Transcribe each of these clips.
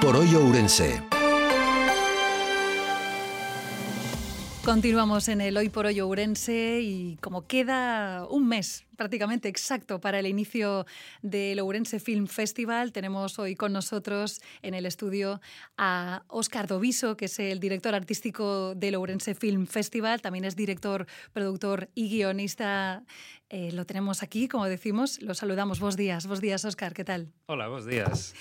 por Hoy Ourense. Continuamos en el Hoy por Hoy Ourense y como queda un mes prácticamente exacto para el inicio del Ourense Film Festival, tenemos hoy con nosotros en el estudio a Óscar Doviso, que es el director artístico del Ourense Film Festival, también es director, productor y guionista. Lo tenemos aquí, como decimos, lo saludamos. Bos días, Óscar, ¿qué tal? Hola, bos días.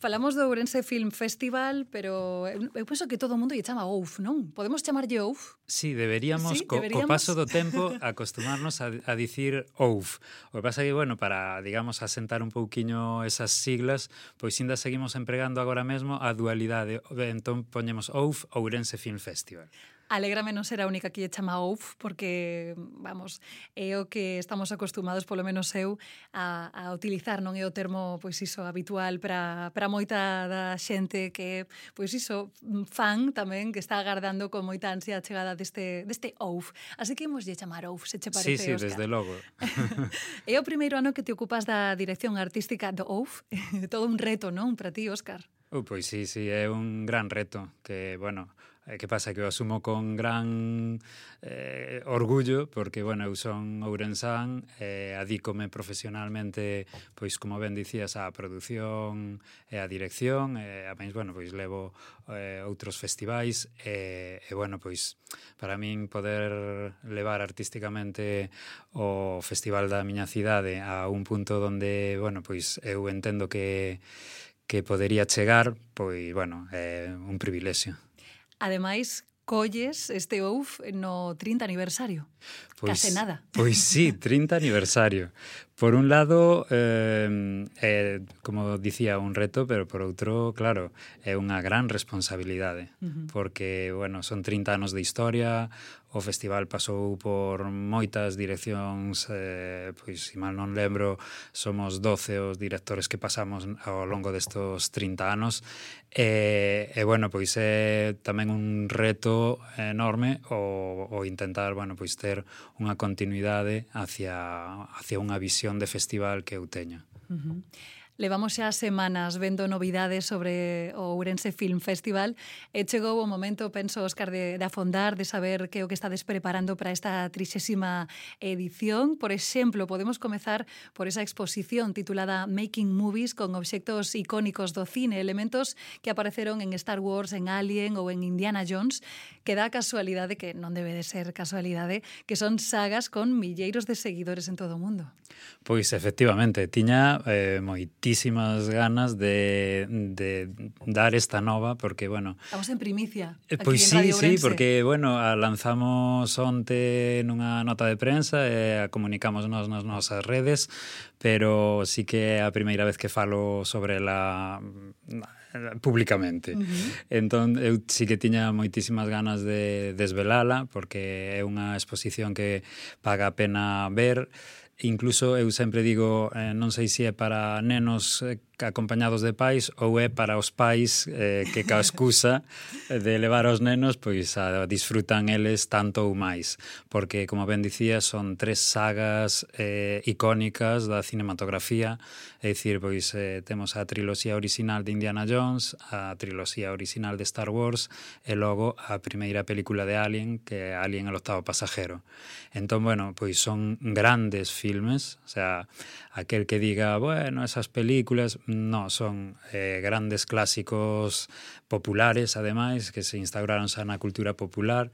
Falamos do Ourense Film Festival, pero eu penso que todo o mundo lle chama OUF, non? Podemos chamarlle OUF? Sí, deberíamos, ¿Sí? co paso do tempo, acostumarnos a dicir OUF. O que pasa é que, bueno, para, digamos, asentar un pouquiño esas siglas, pois ainda seguimos empregando agora mesmo a dualidade. Entón, poñemos OUF, Ourense Film Festival. Alégrame non ser a única que lle chama OUF, porque, vamos, é o que estamos acostumados, polo menos eu, a utilizar, non é o termo, pois iso, habitual para moita da xente que, pois iso, fan tamén, que está agardando con moita ansia a chegada deste OUF. Así que imos lle chamar OUF, se che parece, Sí, Óscar. desde logo. É o primeiro ano que te ocupas da dirección artística do OUF, todo un reto, non, para ti, Óscar? Pois sí, é un gran reto que, bueno, que pasa que o asumo con gran orgullo porque, bueno, eu son ourensán, adícome profesionalmente, pois, como ben dicías, á produción e á dirección, a máis, bueno, pois levo outros festivais e, bueno, pois, para min poder levar artísticamente o festival da miña cidade a un punto onde, bueno, pois eu entendo que podería chegar, pois, bueno, é un privilexio. Ademais, colles este OUF no 30 aniversario. Case nada. Pois sí, 30 aniversario. Por un lado, como dicía, un reto, pero por outro, claro, é unha gran responsabilidade, porque, bueno, son 30 anos de historia, o festival pasou por moitas direccións, pois, se mal non lembro, somos 12 os directores que pasamos ao longo destos 30 anos, e bueno, pois é tamén un reto enorme o intentar, bueno, pois ter unha continuidade hacia unha visión de festival que eu teño. Levamos xa semanas vendo novidades sobre o Ourense Film Festival e chegou o momento, penso, Óscar, de afondar, de saber que é o que estades preparando para esta 30ª edición. Por exemplo, podemos comezar por esa exposición titulada Making Movies con obxectos icónicos do cine, elementos que apareceron en Star Wars, en Alien ou en Indiana Jones, que dá a casualidade, que non debe de ser casualidade, que son sagas con milleiros de seguidores en todo o mundo. Pois, efectivamente, tiña moitísimas ganas de dar esta nova, porque, bueno... Estamos en primicia. Pois sí, porque, bueno, a lanzamos onte nunha nota de prensa e a comunicamos nas nosas redes, pero sí que é a primeira vez que falo sobre ela públicamente. Entón, eu sí que tiña moitísimas ganas de desvelala, porque é unha exposición que paga a pena ver. Incluso eu sempre digo, non sei se é para nenos acompañados de pais ou é para os pais que ca excusa de levar aos nenos pois disfrutan eles tanto ou máis, porque, como ben dicía, son 3 sagas icónicas da cinematografía, é dicir, pois temos a triloxía original de Indiana Jones, a triloxía original de Star Wars e logo a primeira película de Alien, que é Alien el octavo pasajero. Entón, bueno, pois son grandes filmes, o sea, aquel que diga, bueno, esas películas, no, son grandes clásicos populares, ademais, que se instauraron xa na cultura popular,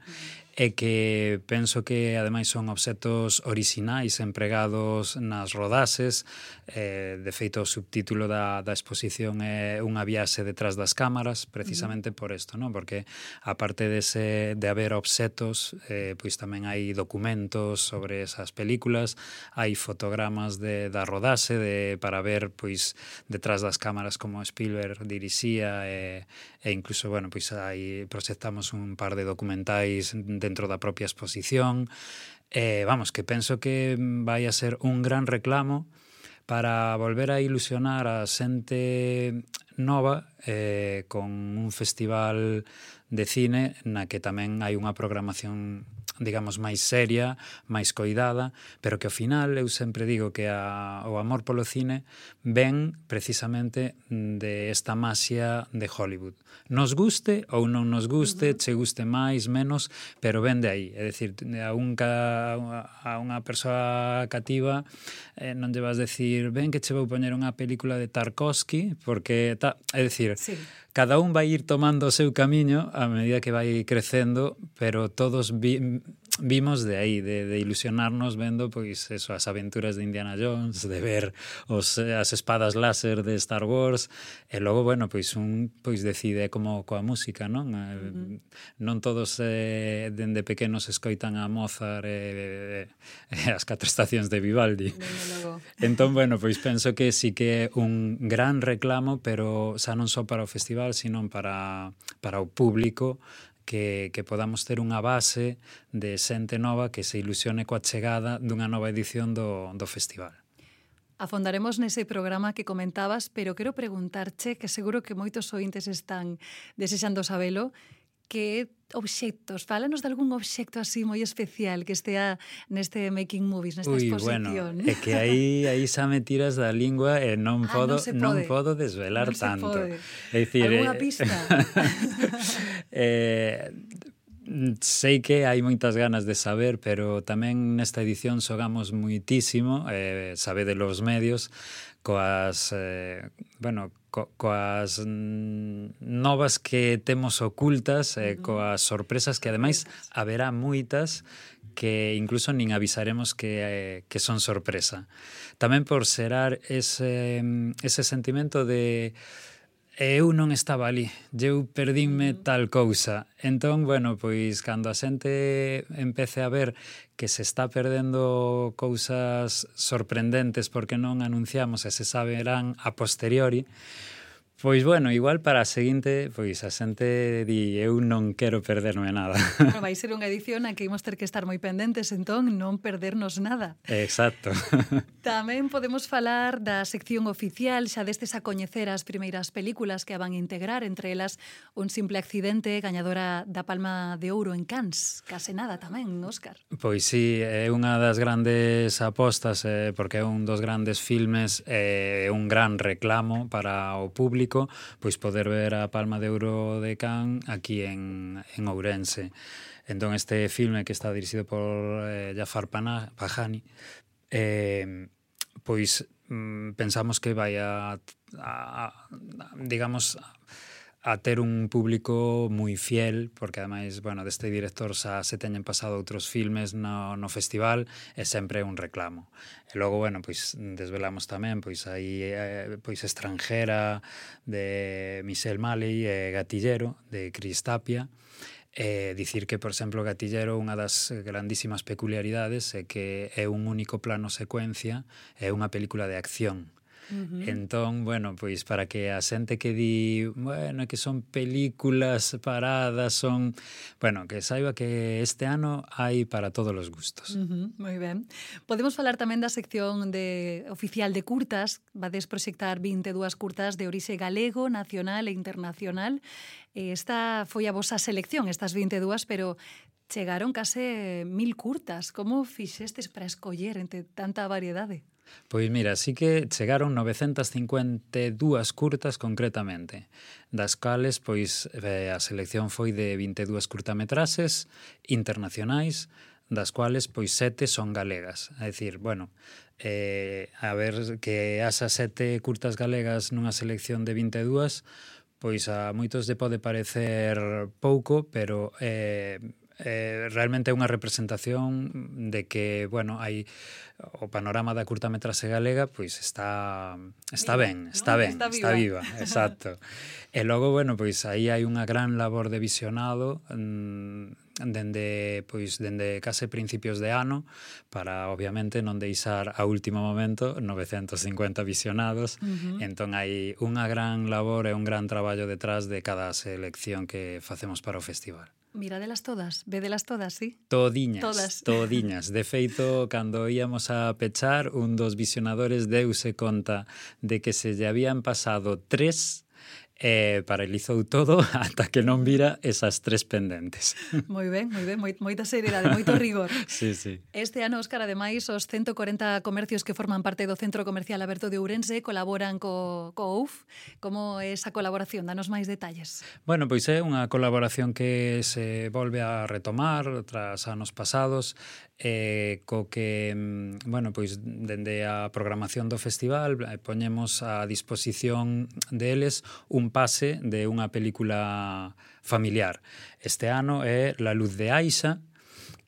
e que penso que, ademais, son obxectos orixinais empregados nas rodaxes. De feito, o subtítulo da exposición é Unha viaxe detrás das cámaras, precisamente por isto, non? Porque, aparte de haber obxectos, pois tamén hai documentos sobre esas películas, hai fotogramas da rodaxe para ver, pois, detrás das cámaras como Spielberg dirixía e incluso, bueno, pois proxectamos un par de documentais dentro da propia exposición. Vamos, que penso que vai a ser un gran reclamo para volver a ilusionar a xente nova con un festival de cine na que tamén hai unha programación digamos, máis seria, máis coidada, pero que ao final eu sempre digo que o amor polo cine ven precisamente de esta masia de Hollywood. Nos guste ou non nos guste, che guste máis, menos, pero ven de aí. É dicir, a unha persoa cativa non lle vas decir, ven que che vou poñer unha película de Tarkovsky, porque é dicir, sí, cada un vai ir tomando o seu camiño a medida que vai crecendo, pero todos vimos de aí, de ilusionarnos vendo pois eso, as aventuras de Indiana Jones, de ver as espadas láser de Star Wars, e logo, bueno, pois un pois decide como coa música, non? Non todos dende pequenos escoitan a Mozart e as 4 estacións de Vivaldi. Entón, bueno, pois penso que sí que é un gran reclamo, pero xa non só para o festival, sino para o público, que podamos ter unha base de xente nova que se ilusione coa chegada dunha nova edición do festival. Afondaremos nese programa que comentabas, pero quero preguntarche, que seguro que moitos ointes están desexando sabelo, que obxectos, fálanos de algún obxecto así moi especial que estea neste Making Movies, nesta exposición. Bueno, é que aí xa me tiras da lingua e non podo desvelar tanto. É dicir, alguna pista? Sei que hai moitas ganas de saber, pero tamén nesta edición xogamos moitísimo, sabede los medios, coas novas que temos ocultas, coas sorpresas que ademais haberá moitas que incluso nin avisaremos que son sorpresa. Tamén por xerar ese sentimento de eu non estaba ali, eu perdínme tal cousa. Entón, bueno, pois cando a xente empece a ver que se está perdendo cousas sorprendentes porque non anunciamos e se saberán a posteriori, pois, bueno, igual para a seguinte, pois a xente di, eu non quero perderme nada. Bueno, vai ser unha edición a que imos ter que estar moi pendentes, entón, non perdernos nada. Exacto. Tamén podemos falar da sección oficial, xa destes a coñecer as primeiras películas que a van integrar, entre elas Un simple accidente, gañadora da Palma de Ouro en Cannes. Case nada tamén, Óscar. Pois sí, é unha das grandes apostas, porque é un dos grandes filmes, é un gran reclamo para o público, pois poder ver a Palma de Ouro de Cannes aquí en Ourense. Entón este filme, que está dirixido por Jafar Panahi, pois pensamos que vai digamos, a ter un público moi fiel, porque ademais, bueno, deste director xa se teñen pasado outros filmes no festival, e sempre é un reclamo. E logo, bueno, pois desvelamos tamén, pois aí pois Estranjera de Michel Malle e Gatillero de Chris Tapia. Dicir que, por exemplo, Gatillero, unha das grandísimas peculiaridades é que é un único plano secuencia, é unha película de acción. Entón, bueno, pois para que a xente que di, bueno, que son películas paradas, son, bueno, que saiba que este ano hai para todos os gustos. Moi ben. Podemos falar tamén da sección oficial de curtas. Vades proxectar 22 curtas de orixe galego, nacional e internacional. Esta foi a vosa selección, estas 22, pero chegaron case 1000 curtas. Como fixestes para escoller entre tanta variedade? Pois mira, sí que chegaron 952 curtas concretamente, das cales pois a selección foi de 22 curtametraxes internacionais, das cuales pois 7 son galegas. É dicir, bueno, a ver que haxa 7 curtas galegas nunha selección de 22, pois a moitos lle pode parecer pouco, pero realmente é unha representación de que, bueno, hai o panorama da curtametraxe galega, pois está ben, está viva, exacto. E logo, bueno, pois aí hai unha gran labor de visionado dende case principios de ano, para obviamente non deixar a último momento 950 visionados. Entón hai unha gran labor e un gran traballo detrás de cada selección que facemos para o festival. Miradelas todas, vedelas todas, sí? Todiñas. De feito, cando íamos a pechar, un dos visionadores deuse conta de que se lle habían pasado 3 paralizou todo ata que non vira esas 3 pendentes. Moi ben, moita seriedade, moito rigor. Sí, sí. Este ano, Óscar, ademais, os 140 comercios que forman parte do Centro Comercial Aberto de Ourense colaboran co OUF. Como é esa colaboración? Danos máis detalles. Bueno, pois é unha colaboración que se volve a retomar tras anos pasados, co que, bueno, pois dende a programación do festival poñemos a disposición deles un pase de unha película familiar. Este ano é La luz de Aixa,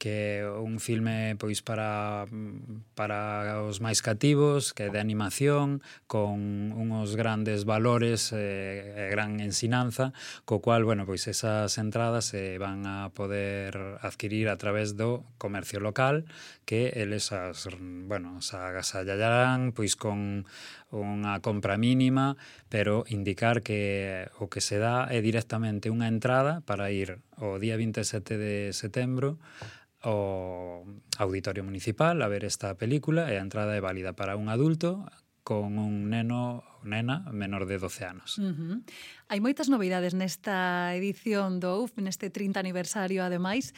que é un filme pois para os máis cativos, que é de animación, con uns grandes valores e gran ensinanza, co cual, bueno, pois esas entradas se van a poder adquirir a través do comercio local, que eles as agasallarán pois con unha compra mínima, pero indicar que o que se dá é directamente unha entrada para ir o día 27 de setembro ao Auditorio Municipal a ver esta película, e a entrada é válida para un adulto con un neno ou nena menor de 12 anos. Hai moitas novidades nesta edición do UF, neste 30 aniversario, ademais,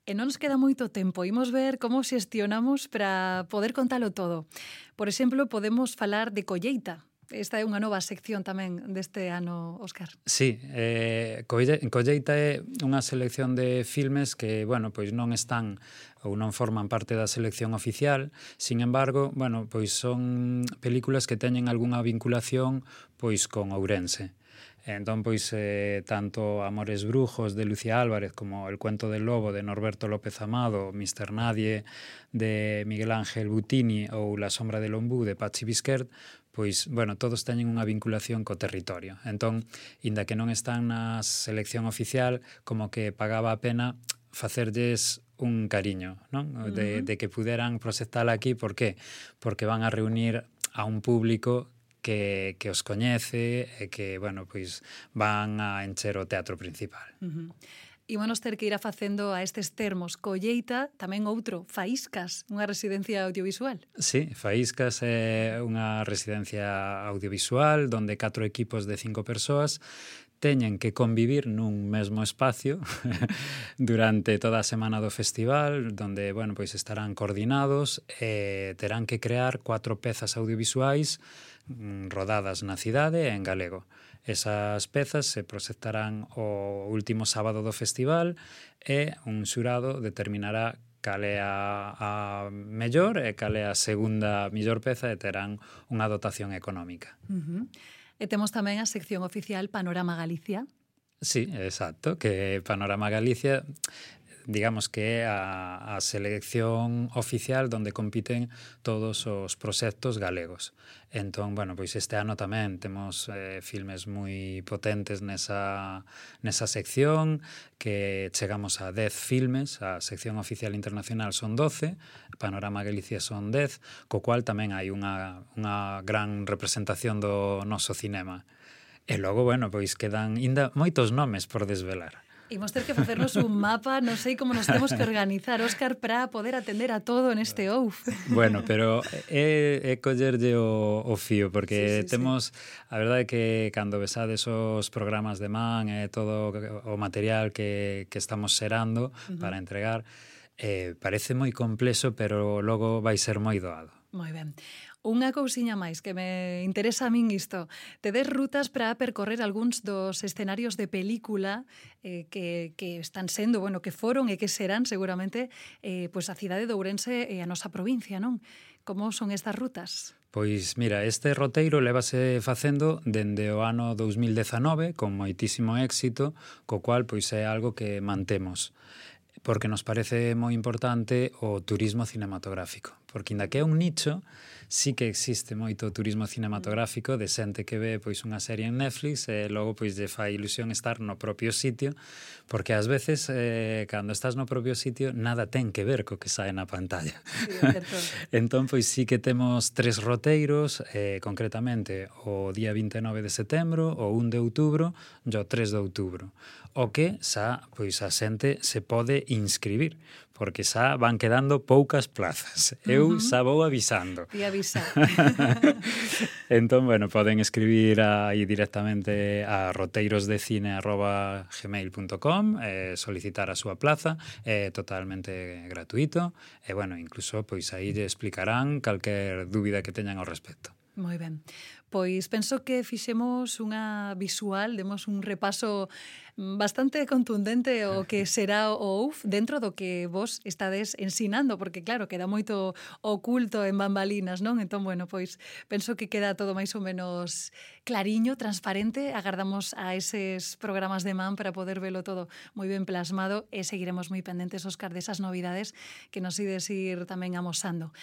e non nos queda moito tempo. Imos ver como xestionamos para poder contalo todo. Por exemplo, podemos falar de colleita. Esta é unha nova sección tamén deste ano, Óscar. Sí, Colleita é unha selección de filmes que, bueno, pois non están ou non forman parte da selección oficial, sin embargo, bueno, pois son películas que teñen algunha vinculación pois con Ourense. Entón, pois, tanto Amores Brujos de Lucía Álvarez como El cuento del lobo de Norberto López Amado, Mr. Nadie de Miguel Ángel Butini ou La sombra del ombú de Patxi Bisquert, pois, bueno, todos teñen unha vinculación co territorio. Entón, inda que non están na selección oficial, como que pagaba a pena facerlles un cariño, non? De que puderan proxectala aquí. Por qué? Porque van a reunir a un público que os coñece e que, bueno, pois van a encher o teatro principal. Ímonos ter que ir a facendo a estes termos. Colleita, tamén outro, Faíscas, unha residencia audiovisual. Sí, Faíscas é unha residencia audiovisual donde 4 equipos de 5 persoas teñen que convivir nun mesmo espacio durante toda a semana do festival, donde, bueno, pois estarán coordinados e terán que crear 4 pezas audiovisuais rodadas na cidade e en galego. Esas pezas se proxectarán o último sábado do festival e un xurado determinará cal é a mellor e cal é a segunda mellor peza, e terán unha dotación económica. E temos tamén a sección oficial Panorama Galicia. Sí, exacto, que Panorama Galicia, digamos que é a selección oficial onde compiten todos os proxectos galegos. Entón, bueno, pois este ano tamén temos filmes moi potentes nesa sección, que chegamos a 10 filmes, a sección oficial internacional son 12, Panorama Galicia son 10, co cual tamén hai unha gran representación do noso cinema. E logo, bueno, pois quedan ainda moitos nomes por desvelar. Imos ter que facernos un mapa, non sei como nos temos que organizar, Óscar, para poder atender a todo neste OUF. Bueno, pero é collerlle o fío, porque temos, a verdade é que cando besades os programas de man e todo o material que estamos xerando para entregar, parece moi complexo, pero logo vai ser moi doado. Moi ben. Unha cousiña máis que me interesa a min isto. Tedes rutas para percorrer algúns dos escenarios de película que están sendo, bueno, que foron e que serán seguramente pois a cidade de Ourense e a nosa provincia, non? Como son estas rutas? Pois mira, este roteiro lévase facendo dende o ano 2019 con moitísimo éxito, co cual pois é algo que mantemos, porque nos parece moi importante o turismo cinematográfico, porque inda que é un nicho, sí que existe moito turismo cinematográfico de xente que ve pois unha serie en Netflix e logo pois lle fai ilusión estar no propio sitio, porque ás veces cando estás no propio sitio nada ten que ver co que sae na pantalla. Sí, é certo. Entón, pois sí que temos 3 roteiros, concretamente o día 29 de setembro, o 1 de outubro e o 3 de outubro, o que xa pois a xente se pode inscribir, porque xa van quedando poucas plazas. Eu xa vou avisando. Te avisa. Entón, bueno, poden escribir aí directamente a roteirosdecine@gmail.com, solicitar a súa plaza, é totalmente gratuito, e, bueno, incluso, pois, aí lle explicarán calquer dúbida que teñan ao respecto. Moi ben. Pois penso que fixemos unha visual, demos un repaso bastante contundente o que será o UF dentro do que vos estades ensinando, porque claro, queda moito oculto en bambalinas, non? Entón, bueno, pois penso que queda todo máis ou menos clariño, transparente. Agardamos a eses programas de man para poder velo todo moi ben plasmado e seguiremos moi pendentes, Óscar, desas novidades que nos ides ir tamén amosando.